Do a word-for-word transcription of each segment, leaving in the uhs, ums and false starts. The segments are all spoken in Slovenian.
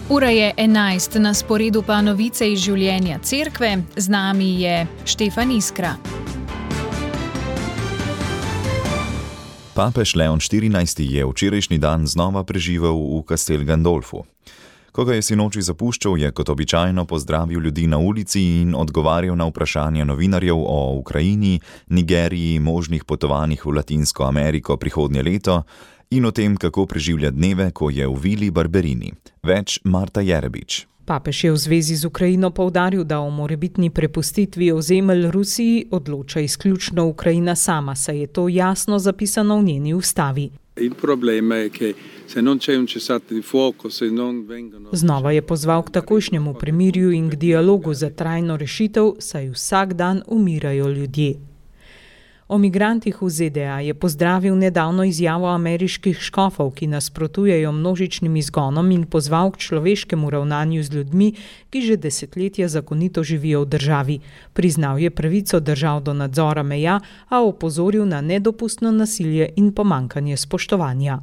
Ura je enajst, na sporedu pa novice iz življenja cerkve. Z nami je Štefan Iskra. Papež Leon štirinajsti je včerajšnji dan znova preživel v Castel Gandolfu. Ko ga je sinoči zapuščal, je kot običajno pozdravil ljudi na ulici in odgovarjal na vprašanja novinarjev o Ukrajini, Nigeriji, možnih potovanjih v Latinsko Ameriko prihodnje leto in o tem, kako preživlja dneve, ko je v vili Barberini. Več Marta Jerebič. Papež je v zvezi z Ukrajino poudaril, da o morebitni prepustitvi ozemelj Rusiji odloča izključno Ukrajina sama, saj je to jasno zapisano v njeni ustavi. Znova je pozval k takojšnjemu premirju in k dialogu za trajno rešitev, saj vsak dan umirajo ljudje. O migrantih v Z D A je pozdravil nedavno izjavo ameriških škofov, ki nasprotujejo množičnim izgonom in pozval k človeškemu ravnanju z ljudmi, ki že desetletja zakonito živijo v državi. Priznal je pravico držav do nadzora meja, a opozoril na nedopustno nasilje in pomanjkanje spoštovanja.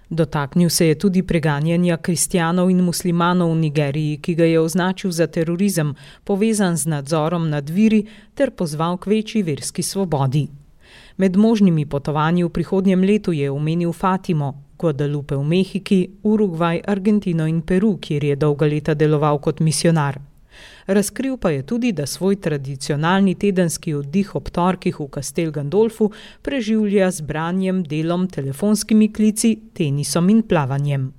Dotaknil se je tudi preganjanja kristjanov in muslimanov v Nigeriji, ki ga je označil za terorizem, povezan z nadzorom nad viri, ter pozval k večji verski svobodi. Med možnimi potovanji v prihodnjem letu je omenil Fatimo, Guadalupe v Mehiki, Urugvaj, Argentino in Peru, kjer je dolga leta deloval kot misionar. Razkril pa je tudi, da svoj tradicionalni tedenski oddih ob torkih v Castel Gandolfu preživlja z branjem, delom, telefonskimi klici, tenisom in plavanjem.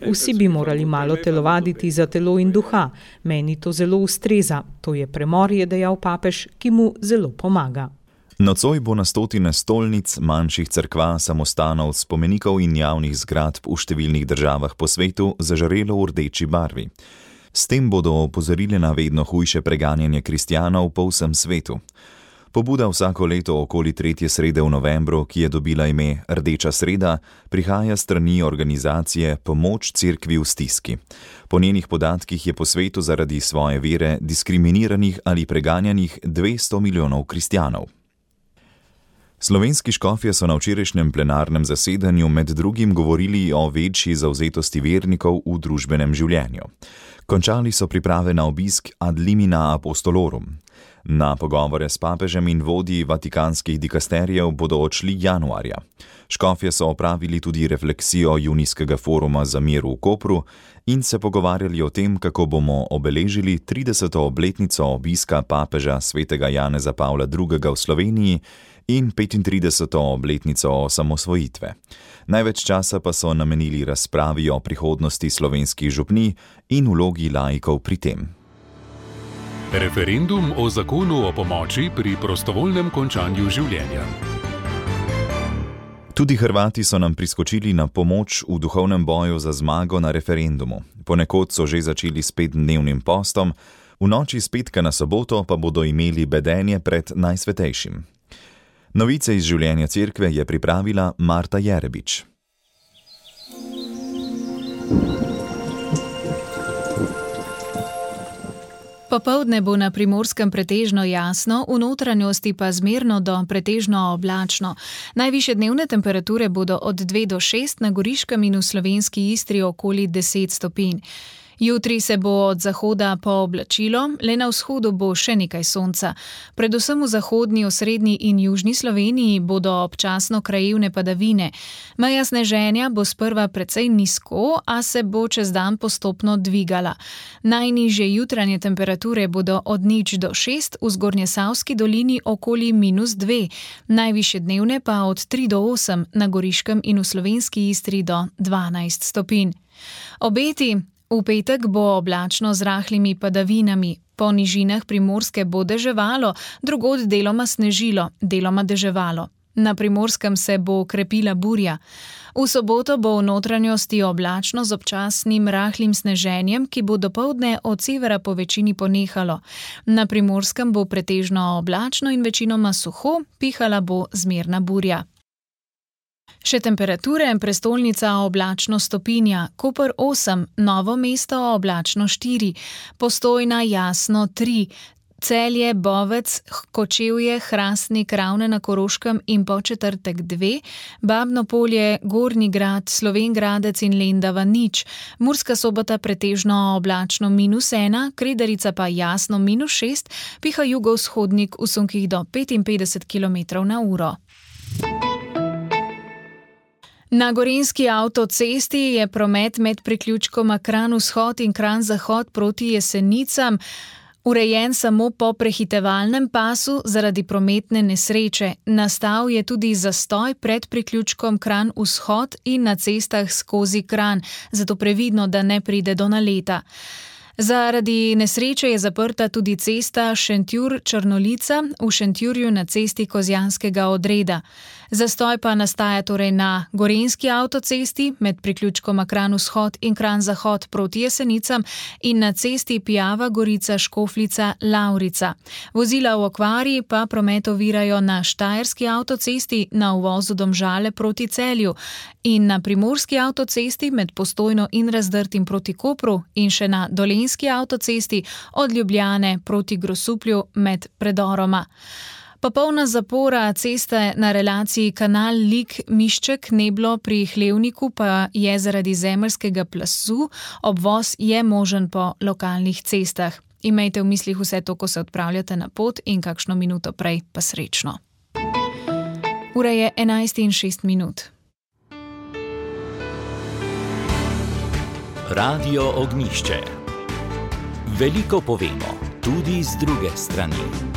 Vsi bi morali malo telovaditi za telo in duha. Meni to zelo ustreza. To je premor, je dejal papež, ki mu zelo pomaga. Nocoj bo na stotine stolnic, manjših cerkva, samostanov, spomenikov in javnih zgradb v številnih državah po svetu zažarelo v rdeči barvi. S tem bodo opozorili na vedno hujše preganjanje kristjanov po vsem svetu. Pobuda vsako leto okoli tretje srede v novembru, ki je dobila ime Rdeča sreda, prihaja strani organizacije Pomoč cerkvi v stiski. Po njenih podatkih je po svetu zaradi svoje vere diskriminiranih ali preganjanih dvesto milijonov kristjanov. Slovenski škofje so na včerajšnjem plenarnem zasedanju med drugim govorili o večji zavzetosti vernikov v družbenem življenju. Končali so priprave na obisk ad limina apostolorum. Na pogovore s papežem in vodji vatikanskih dikasterijev bodo odšli januarja. Škofje so opravili tudi refleksijo junijskega foruma za mir v Kopru in se pogovarjali o tem, kako bomo obeležili trideseto obletnico obiska papeža svetega Janeza Pavla drugega v Sloveniji in petintrideseto obletnico osamosvojitve. Največ časa pa so namenili razpravi o prihodnosti slovenskih župnij in vlogi laikov pri tem. Referendum o zakonu o pomoči pri prostovoljnem končanju življenja. Tudi Hrvati so nam priskočili na pomoč v duhovnem boju za zmago na referendumu. Ponekod so že začeli s petdnevnim postom, v noči s petka na soboto pa bodo imeli bedenje pred Najsvetejšim. Novice iz življenja cerkve je pripravila Marta Jerebič. Popoldne bo na Primorskem pretežno jasno, v notranjosti pa zmerno do pretežno oblačno. Najvišje dnevne temperature bodo od dve do šest, na Goriškem in v slovenski Istri okoli deset stopinj. Jutri se bo od zahoda pooblačilo, le na vzhodu bo še nekaj sonca. Predvsem v zahodni, osrednji in južni Sloveniji bodo občasno krajevne padavine. Meja sneženja bo sprva precej nizko, a se bo čez dan postopno dvigala. Najnižje jutranje temperature bodo od nič do šest, v Zgornjesavski dolini okoli minus dve, najvišje dnevne pa od tri do osem, na Goriškem in v slovenski Istri do dvanajst stopinj. Obeti. V petek bo oblačno z rahlimi padavinami. Po nižinah Primorske bo deževalo, drugod deloma snežilo, deloma deževalo. Na Primorskem se bo krepila burja. V soboto bo v notranjosti oblačno z občasnim rahlim sneženjem, ki bo dopoldne od severa po večini ponehalo. Na Primorskem bo pretežno oblačno in večinoma suho, pihala bo zmerna burja. Še temperature, prestolnica oblačno stopinja, Koper osem, Novo mesto oblačno štiri, Postojna jasno tri, Celje, Bovec, Kočevje, Hrastnik, Ravne na Koroškem in Podčetrtek dve, Babno Polje, Gornji Grad, Slovenj Gradec in Lendava nič, Murska Sobota pretežno oblačno minus ena, Kredarica pa jasno minus šest, piha jugovzhodnik v sunkih do petinpetdeset kilometrov na uro. Na gorenjski avtocesti je promet med priključkoma Kranj vzhod in Kranj zahod proti Jesenicam urejen samo po prehitevalnem pasu zaradi prometne nesreče. Nastal je tudi zastoj pred priključkom Kranj vzhod in na cestah skozi Kranj, zato previdno, da ne pride do naleta. Zaradi nesreče je zaprta tudi cesta Šentjur-Črnolica v Šentjurju na cesti Kozjanskega odreda. Zastoj pa nastaja torej na gorenjski avtocesti med priključkoma Kranj vzhod in Kranj zahod proti Jesenicam in na cesti Pijava Gorica Škofljica Lavrica. Vozila v okvari pa promet ovirajo na Štajerski avtocesti na uvozu Domžale proti Celju in na Primorski avtocesti med Postojno in Razdrtim proti Kopru in še na Dolenjski avtocesti od Ljubljane proti Grosuplju med predoroma. Popolna zapora ceste na relaciji Kanal Lig-Mišček Neblo pri Hlevniku pa je zaradi zemeljskega plazu, obvoz je možen po lokalnih cestah. Imejte v mislih vse to, ko se odpravljate na pot in kakšno minuto prej pa srečno. Ura je enajst in šest minut. Radio Ognjišče. Veliko povemo, tudi z druge strani.